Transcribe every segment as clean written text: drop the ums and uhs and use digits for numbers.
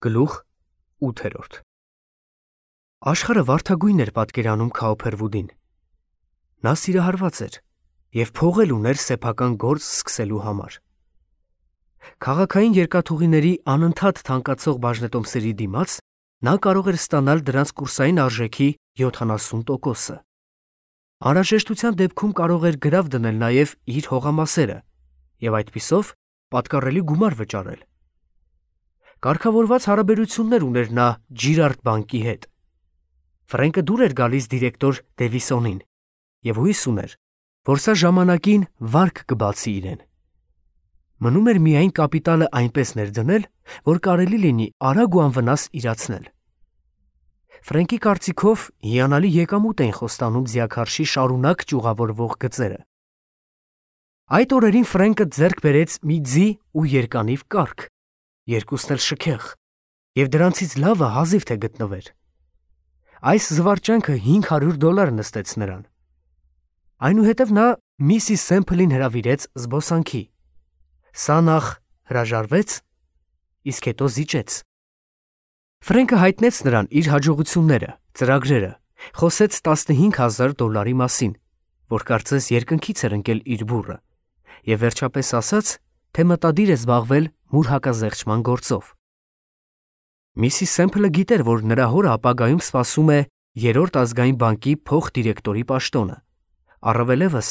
Գլուխ 8 Աշխարհը վարդագույն էր պատկերանում Քաուփերվուդին։ Նա սիրահարված էր և փող էլ ուներ սեփական գործ սկսելու համար։ Քաղաքային երկաթուղիների անընդհատ թանկացող բաժնետոմսերի դիմաց նա կարող էր ստանալ դրանց կուրսային արժեքի 70%-ը։ Անհրաժեշտության դեպքում կարող էր գրավ դնել նաև իր հողամասերը և այդպիսով պատկառելի գումար վճարել։ Կարգավորված հարաբերություններ ուներ նա Ջիրարդ բանկի հետ։ Ֆրենկը դուր էր գալիս դիրեկտոր Դևիսոնին և հույս ուներ, որ սա ժամանակին վարկ կբացի իրեն։ Մնում էր միայն կապիտալը այնպես ներդնել, որ կարելի լինի արագ ու անվնաս իրացնել։ Ֆրենկի կարծիքով հիանալի եկամուտ էին խոստանում ձիաքարշի շարունակ ճյուղավորվող գծերը։ Այդ օրերին Ֆրենկը ձեռք բերեց մի ձի ու երկանիվ կառք, երկուսն էլ շքեղ, և դրանցից լավը հազիվ թե գտնվեր։ Այս զվարճանքը $500 նստեց նրան։ Այնուհետև նա Միսիս Սեմփլին հրավիրեց զբոսանքի։ Սա նախ հրաժարվեց, իսկ հետո զիջեց։ Ֆրենկը հայտնեց նրան իր հաջողությունները, ծրագրերը, խոսեց $15,000 մասին, որ կարծես երկնքից էր ընկել իր բուռը, և վերջապես ասաց, թե մտադիր է զբաղվել մուր հակազեղչման գործով։ Միսիս Սեմփլը գիտեր, որ նրա հորը ապագայում սպասում է Երրորդ ազգային բանկի փոխդիրեկտորի պաշտոնը, առավելևս,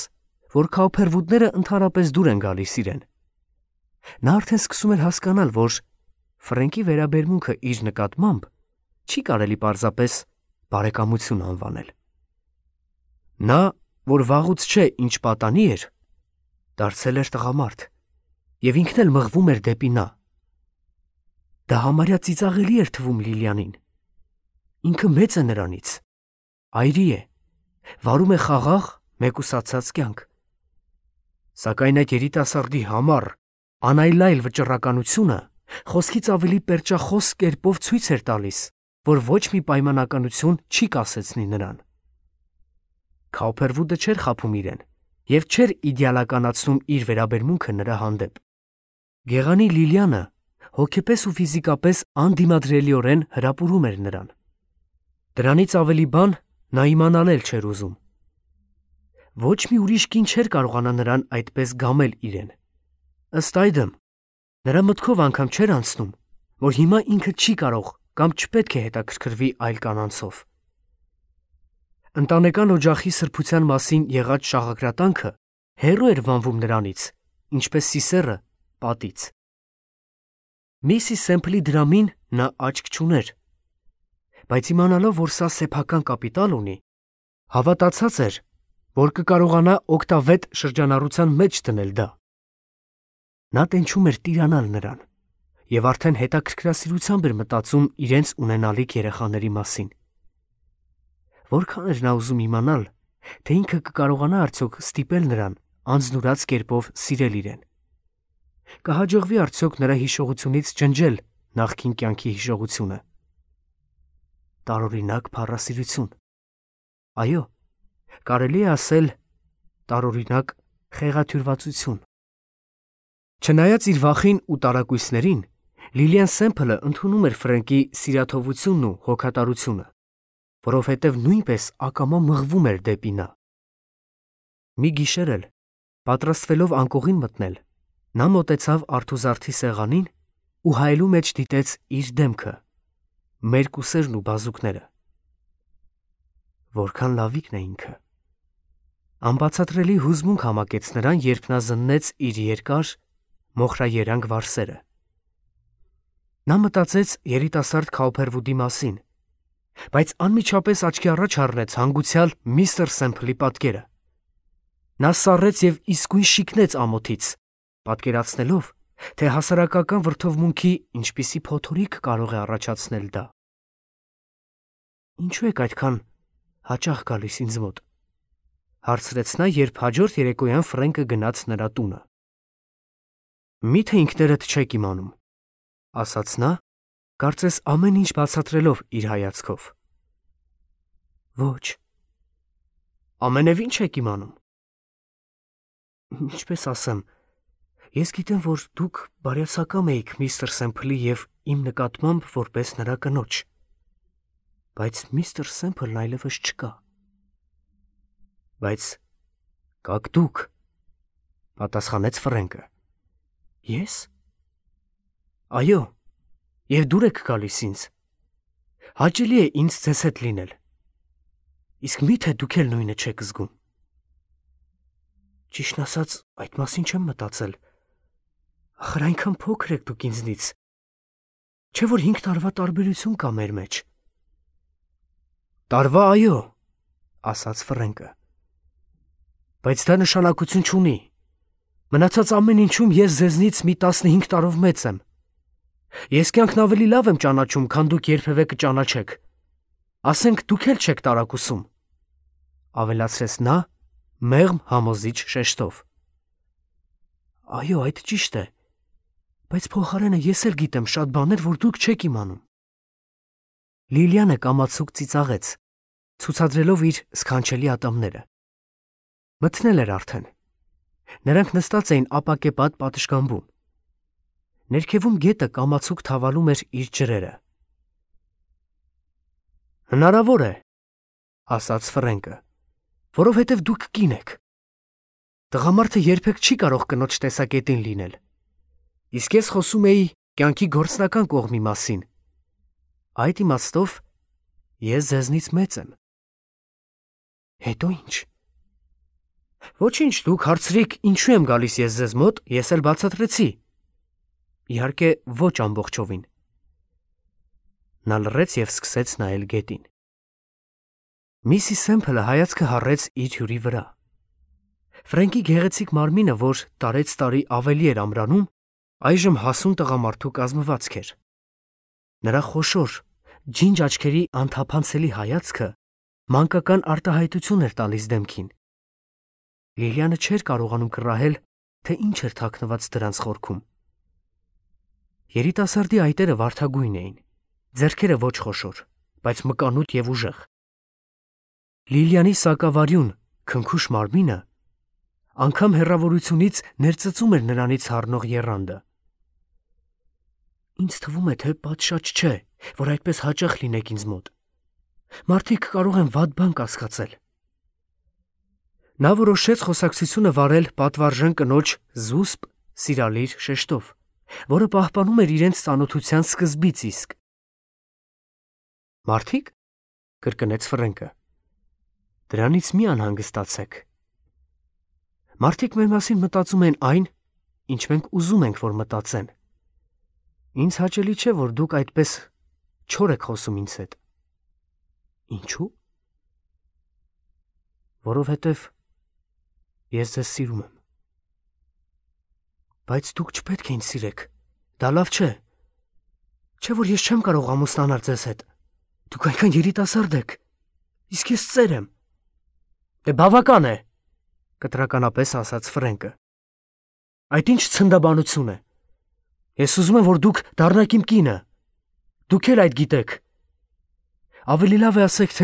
որ Քաուփերվուդները ընդհանրապես դուր են գալիս իրեն։ Նա արդեն սկսում էր հասկանալ, որ Ֆրենկի վերաբերմունքը իր նկատմամբ չի կարելի պարզապես բարեկամություն անվանել։ Նա, որ վաղուց չէ ինչ պատանի էր, դարձել էր տղամարդ, և ինքն էլ մղվում էր դեպի նա։ Դա համարյա ծիծաղելի էր թվում Լիլիանին։ Ինքը մեծ է նրանից, այրի է, վարում է խաղաղ, մեկուսացած կյանք։ Սակայն այդ երիտասարդի համառ, անայլայլ վճռականությունը խոսքից ավելի պերճախոս կերպով ցույց էր տալիս, որ ոչ մի պայմանականություն չի կասեցնի նրան։ Քաուփերվուդը չէր խաբում իրեն և չէր իդեալականացնում իր վերաբերմունքը նրա հանդեպ։ Գեղանի Լիլիանը հոգեպես ու ֆիզիկապես անդիմադրելիորեն հրապուրում էր նրան։ Դրանից ավելի բան նա իմանալ էլ չէր ուզում։ Ոչ մի ուրիշ կին չէր կարողանա նրան այդպես գամել իրեն։ Ըստ այդմ, նրա մտքով անգամ չէր անցնում, որ հիմա ինքը չի կարող կամ չպետք է հետաքրքրվի այլ կանանցով։ Ընտանեկան օջախի սրբության մասին եղած շաղակրատանքը հեռու էր վանվում նրանից, ինչպես Սիսեռը պատից։ Միսիս Սեմփլի դրամին նա աչք չուներ, բայց իմանալով, որ սա սեփական կապիտալ ունի, հավատացած էր, որ կկարողանա օգտավետ շրջանառության մեջ դնել դա։ Նա տենչում էր տիրանալ նրան և արդեն հետաքրքրասիրությամբ էր մտածում իրենց ունենալիք երեխաների մասին։ Որքան էր նա ուզում իմանալ, թե ինքը կկարողանա արդյոք ստիպել նրան անձնուրաց կերպով սիրել իրեն։ Կհաջողվի արդյոք նրա հիշողությունից ջնջել նախկին կյանքի հիշողությունը։ Տարօրինակ փառասիրություն։ Այո, կարելի է ասել տարօրինակ խեղաթյուրվածություն։ Չնայած իր վախին ու տարակույսներին, Լիլիան Սեմփլը ընդունում էր Ֆրենկի սիրաթողությունն ու հոգատարությունը, որովհետև նույնպես ակամա մղվում էր դեպի նա։ Մի գիշեր էլ, պատրաստվելով անկողին մտնել, նա մոտեցավ արթուզարդի սեղանին ու հայելու մեջ դիտեց իր դեմքը, մերկուսերն ու բազուկները։ Որքան լավիկն է ինքը։ Անբացատրելի հուզմունք համակեց նրան, երբ նա զննեց իր երկար, մոխրաերանգ վարսերը։ Նա մտածեց երիտասարդ Քաուփերվուդի մասին, բայց անմիջապես աչքի առաջ առնեց հանգուցյալ միստր Սեմփլի պատկերը։ Նա սառեց և իսկույն շիկնեց ամոթից, պատկերացնելով, թե հասարակական վրդովմունքի ինչպիսի փոթորիկ կարող է առաջացնել դա։ Ինչու եք այդքան հաճախ գալիս ինձ մոտ, հարցրեց նա, երբ հաջորդ երեկոյան Ֆրենկը գնաց նրա տունը։ Միթե ինքներդ չեք իմանում, ասաց նա, կարծես ամեն ինչ բացատրելով իր հայացքով։ Ոչ։ Ամենևին չեք իմանում։ Ինչպես ասեմ, ես գիտեմ, որ դուք բարյացակամ էիք միստր Սեմփլի և իմ նկատմամբ որպես նրա կնոջ։ Բայց միստր Սեմփլն այլևս չկա։ Բայց կաք դուք, պատասխանեց Ֆրենկը։ Ես։ Այո, եւ դուր եք գալիս ինձ։ Հաճելի է ինձ ձեզ հետ լինել։ Իսկ միթե դուք էլ նույնը չեք զգում։ Ճիշտն ասած, այդ մասին չեմ մտածել։ Ախր այնքան փոքր եք դուք ինձնից։ Չէ՞ որ 5 տարվա տարբերություն կա մեր մեջ։ Տարվա այո, ասաց Ֆրենկը։ Բայց դա նշանակություն չունի։ Մնացած ամեն ինչում ես ձեզնից մի 15 տարով մեծ եմ։ Ես կյանքն ավելի լավ եմ ճանաչում, քան դուք երբևէ կճանաչեք։ Ասենք դուք էլ չեք տարակուսում, ավելացրեց նա մեղմ համոզիչ շեշտով։ Այո, այդ ճիշտ է, բայց փոխարենը ես էլ գիտեմ շատ բաներ, որ դուք չեք իմանում։ Լիլիանը կամացուկ ծիծաղեց, ցուցադրելով իր սքանչելի ատամները։ Մթնել էր արդեն։ Նրանք նստած էին ապակեպատ պատշգամբում։ Ներքևում գետը կամացուկ թավալում էր իր ջրերը։ Հնարավոր է, ասաց Ֆրենկը, որովհետև դուք կին եք։ Տղամարդը երբեք չի կարող կնոջ տեսակետին լինել։ Իսկ ես խոսում էի կյանքի գործնական կողմի մասին։ Այդ իմաստով ես ձեզնից մեծ եմ։ Հետո ինչ։ Ոչինչ, դուք հարցրիք, ինչու եմ գալիս ես ձեզ մոտ, ես էլ բացատրեցի։ Իհարկե, ոչ ամբողջովին։ Նա լռեց և սկսեց նայել գետին։ Միսիս Սեմփլը հայացքը հառեց իր հյուրի վրա։ Ֆրենկի գեղեցիկ մարմինը, որ տարեց տարի ավելի էր ամրանում, այժմ հասուն տղամարդու կազմվածք էր։ Նրա խոշոր, ջինջ աչքերի անթափանցելի հայացքը մանկական արտահայտություն էր տալիս դեմքին։ Լիլիանը չէր կարողանում կռահել, թե ինչ էր թաքնված դրանց խորքում։ Երիտասարդի այտերը վարդագույն էին, ձեռքերը ոչ խոշոր, բայց մկանուտ և ուժեղ։ Լիլիանի սակավարյուն, քնքուշ մարմինը անգամ հեռավորությունից ներծծում էր նրանից հառնող եռանդը։ Ինձ թվում է, թե պատշաճ չէ, որ այդպես հաճախ լինեք ինձ մոտ։ Մարդիկ կարող են վատ բան կասկածել։ Նա որոշեց խոսակցությունը վարել պատվարժան կնոջ զուսպ, սիրալիր շեշտով, որը պահպանում էր իրենց ծանոթության սկզբից իսկ։ Մարդիկ, կրկնեց Ֆրենկը, դրանից մի անհանգստացեք։ Մարդիկ մեր մասին մտածում են այն, ինչ մենք ուզում ենք, որ մտածեն։ Ինձ հաճելի չէ, որ դուք այդպես չոր եք խոսում ինձ հետ։ Ինչու՞։ Որովհետև ես ձեզ սիրում եմ։ Բայց դուք չպետք է ինձ սիրեք, դա լավ չէ։ Չէ՞ որ ես չեմ կարող ամուսնանալ ձեզ հետ։ Դուք այնքան երիտասարդ եք, իսկ ես ծեր եմ։ Դե բավական է, կտրականապես ասաց Ֆրենկը։ Այդ ինչ ցնդաբանություն է։ Ես ուզում եմ, որ դուք դառնաք իմ կինը։ Դուք էլ այդ գիտեք։ Ավելի լավ է ասեք,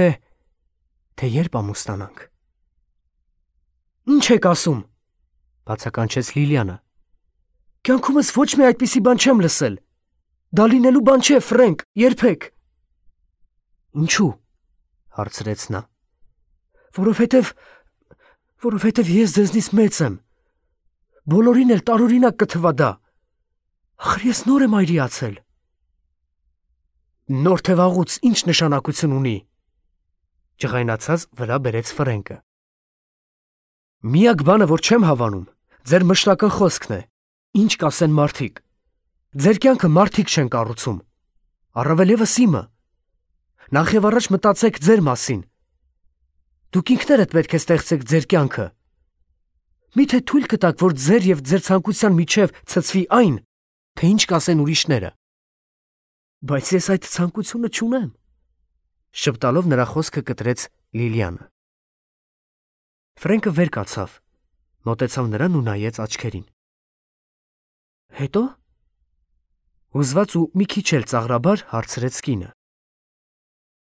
թե երբ ամուսնանանք։ Ինչ եք ասում, բացականչեց Լիլիանը։ Կյանքումս ոչ մի այդպիսի բան չեմ լսել։ Դա լինելու բան չէ, Ֆրենկ, երբեք։ Ինչու՞, հարցրեց նա։ Որովհետև ես ձեզնից մեծ եմ։ Բոլորին էլ տարօրինակ կթվա դա։ Ախր ես նոր եմ այրիացել։ Նոր թե վաղուց ինչ նշանակություն ունի, ջղայնացած վրա բերեց Ֆրենկը։ Միակ բանը, որ չեմ հավանում, ձեր մշտական խոսքն է, ինչ կասեն մարդիկ։ Ձեր կյանքը մարդիկ չեն կառուցում, առավել ևս իմը։ Նախ և առաջ մտածեք ձեր մասին։ Դուք ինքներդ պետք է ստեղծեք ձեր կյանքը։ Միթե թույլ կտաք, որ ձեր և ձեր ցանկության միջև ցցվի այն, թե ինչ կասեն ուրիշները։ Բայց ես այդ ցանկությունը չունեմ, շպտալով նրա խոսքը կտրեց Լիլիանը։ Ֆրենկը վեր կացավ, մոտեցավ նրան ու նայեց աչքերին։ Հետո։ Հուզված ու մի քիչ էլ ծաղրաբար հարցրեց կինը։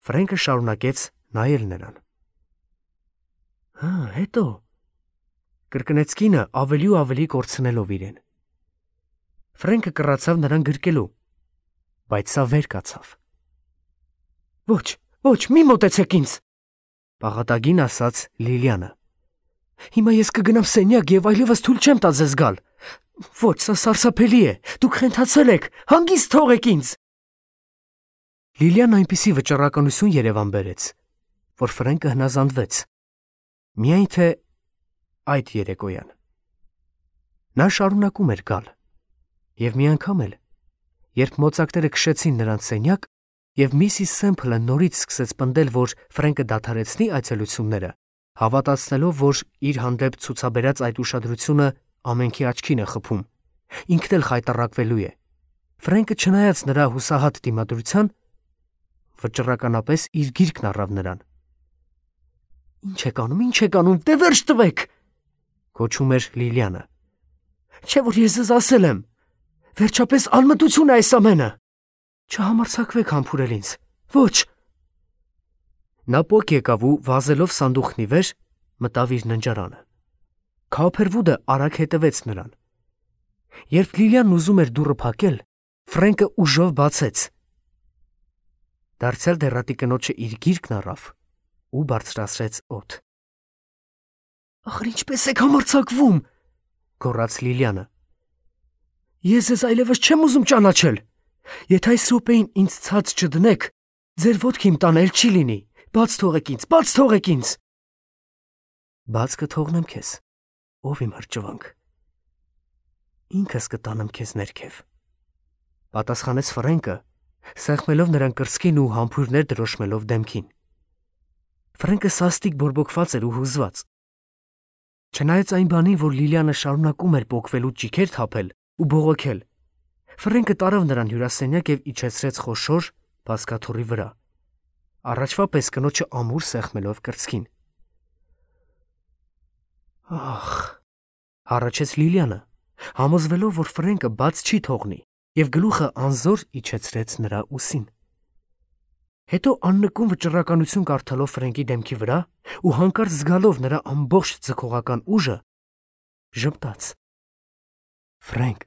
Ֆրենկը շարունակեց նայել նրան։ Հետո, կրկնեց կինը ավելի ու ավելի կորցնելով իրեն։ Ֆրենկը կռացավ նրան գրկելու, բայց սա վեր կացավ։ Ոչ, ոչ, մի մոտեցեք ինձ, պաղատագին ասաց Լիլիանը։ Հիմա ես կգնամ սենյակ եւ այլևս թույլ չեմ տա ձեզ գալ։ Ոչ, սա սարսափելի է, դուք խենթացել եք, հանգիստ թողեք ինձ։ Լիլիան այնպիսի վճռականություն Երևան բերեց, որ Ֆրենկը հնազանդվեց։ Միայն թե այդ երեկոյան։ Նա շարունակում էր գալ։ Եվ մի անգամ էլ, երբ մոծակները քշեցին նրանց սենյակ, եւ Միսիս Սեմփլը նորից սկսեց պնդել, որ Ֆրենկը դադարեցնի այցելությունները, հավատացնելով, որ իր հանդեպ ցուցաբերած այդ ուշադրությունը ամենքի աչքին է խփում, ինքն էլ խայտառակվելու է։ Ֆրենկը, չնայած նրա հուսահատ դիմադրության, վճռականապես իր գիրկն առավ նրան։ Ինչ եք անում, դե վերջ տվեք, գոչում էր Լիլիանը։ Չէ՞ որ ես ձեզ ասել եմ, վերջապես անմտություն է այս ամենը։ Չհամարձակվեք համբուրել ինձ։ Ոչ։ Նա պոկ եկավ ու վազելով սանդուղքնի վեր մտավ իր ննջարանը։ Քոփերվուդը արագ հետևեց նրան։ Երբ Լիլիանն ուզում էր դուռը փակել, Ֆրենկը ուժով բացեց։ Դարձյալ դեռատի կնոջը իր գիրկն առավ ու բարձրացրեց օդ։ Ախր ինչպես եք համարձակվում, գոռաց Լիլիանը։ Ես ձեզ այլևս չեմ ուզում ճանաչել։ Եթե այս րոպեին ինձ ցած չդնեք, ձեր ոտքի իմ տանել չի լինի։ Բաց թողեք ինձ, բաց թողեք ինձ։ Բաց կթողնեմ քեզ, ով իմ հրճվանք։ Ինքս կտանեմ քեզ ներքև, պատասխանեց Ֆրենկը, սեղմելով նրան կրծքին ու համբույրներ դրոշմելով դեմքին։ Ֆրենկը սաստիկ բորբոքված էր ու հուզված։ Չնայած այն բանին, որ Լիլիանը շարունակում էր պոկվել ու ճիքեր թափել ու բողոքել, Ֆրենկը տարավ նրան հյուրասենյակ եւ իջեցրեց խոշոր բազկաթոռի վրա, առաջվա պես կնոջը ամուր սեղմելով կրծքին։ Ախ, հառաչեց Լիլիանը, համոզվելով, որ Ֆրենկը բաց չի թողնի, եւ գլուխը անզոր իջեցրեց նրա ուսին։ Հետո աննկուն վճռականություն կարդալով Ֆրենկի դեմքի վրա ու հանկարծ զգալով նրա ամբողջ ձգողական ուժը, ժպտաց. Ֆրենկ,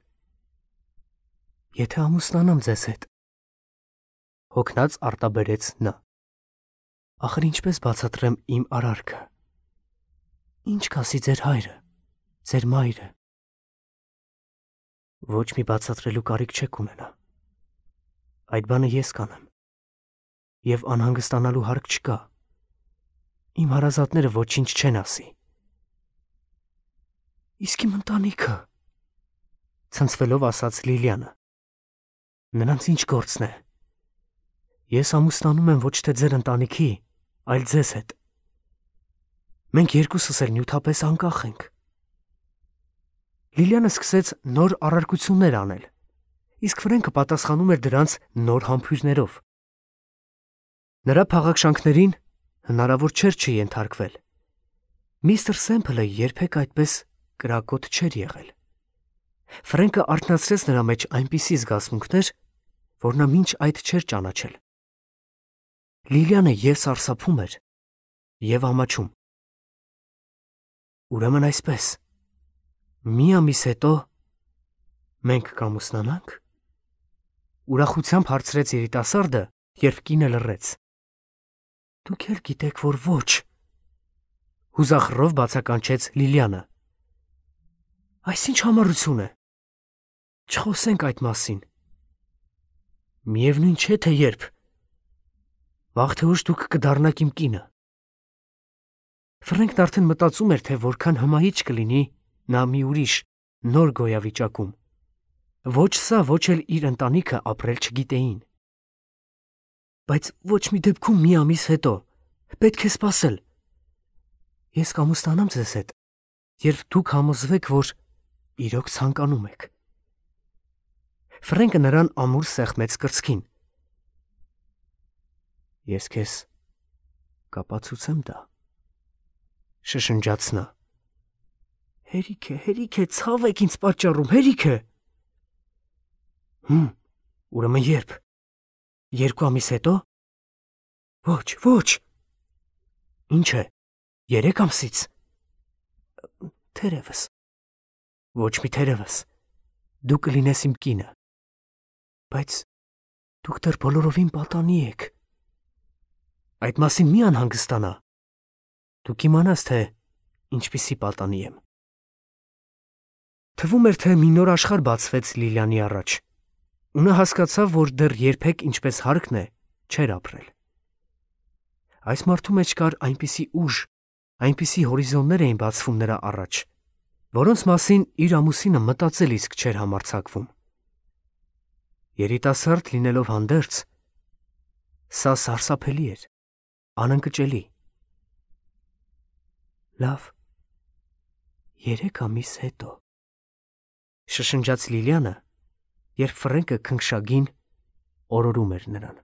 եթե ամուսնանամ ձեզ հետ, հոգնած արտաբերեց նա։ Ախր ինչպես բացատրեմ իմ արարքը։ Ինչ կասի ձեր հայրը, ձեր մայրը։ Ոչ մի բացատրելու կարիք չեք ունենա։ Այդ բանը ես կանեմ։ Եվ անհանգստանալու հարկ չկա։ Իմ հարազատները ոչինչ չեն ասի։ Իսկ իմ ընտանիքը, ցնցվելով ասաց Լիլիանը։ Նրանց ինչ գործն է։ Ես ամուսնանում եմ ոչ թե ձեր ընտանիքի, այլ ձեզ հետ։ Մենք երկուսս էլ նյութապես անկախ ենք։ Լիլիանը սկսեց նոր առարկություններ անել, իսկ Ֆրենկը պատասխանում էր դրանց նոր համբույրներով։ Նրա փաղաքշանքներին հնարավոր չէր չենթարկվել։ Միստր Սեմփլը երբեք այդպես կրակոտ չէր եղել։ Ֆրենկը արթնացրեց նրա մեջ այնպիսի զգացմունքներ, որ նա մինչ այդ չէր ճանաչել։ Լիլիանը եւ սարսափում էր, եւ ամաչում։ Ուրեմն այսպես, մի ամիս հետո մենք կամուսնանանք։ Ուրախությամբ հարցրեց երիտասարդը, երբ կինը լռեց։ Դուք էլ գիտեք, որ ոչ, հուզախռով բացականչեց Լիլիանը։ Այս ինչ համառություն է։ Չխոսենք այդ մասին։ Միևնույն չէ, թե երբ։ Վաղ թե ուշ դուք կդառնաք իմ կինը։ Ֆրենկն արդեն մտածում էր, թե որքան հմայիչ կլինի նա մի ուրիշ նոր գոյավիճակում։ Ոչ սա, ոչ էլ իր ընտանիքը ապրել չգիտեին։ Բայց ոչ մի դեպքում մի ամիս հետո պետք է սպասել։ Ես կամուսնանամ ձեզ հետ, երբ դուք համոզվեք, որ իրոք ցանկանում եք։ Ֆրենկը նրան ամուր սեղմեց կրծքին։ Ես քեզ կապացուցեմ դա, շշնջաց նա։ Հերիք է, ցավ եք ինձ պատճառում, հերիք է։ Ուրեմն երբ։ 2 ամիս հետո։ Ոչ։ Ինչ է, 3 ամսից։ Թերևս։ Ոչ մի թերևս։ Դու կլինես իմ կինը։ Բայց Դուք դեռ բոլորովին պատանի եք։ Այդ մասին մի անհանգստանա։ Դու կիմանաս, թե ինչպիսի պատանի եմ։ Թվում էր, թե մի նոր աշխարհ բացվեց Լիլիանի առաջ, ու նա հասկացավ, որ դեռ երբեք ինչպես հարկն է, չէր ապրել։ Այս մարդու մեջ կար այնպիսի ուժ, այնպիսի հորիզոններ էին բացվում նրա առաջ, որոնց մասին իր ամուսինը մտածել իսկ չէր համարձակվում։ Երիտասարդ լինելով հանդերձ, սա սարսափելի էր, անընկճելի։ Լավ, 3 ամիս հետո, շշնջաց Լիլիանը, երբ Ֆրենկը քնքշագին օրորում էր նրան։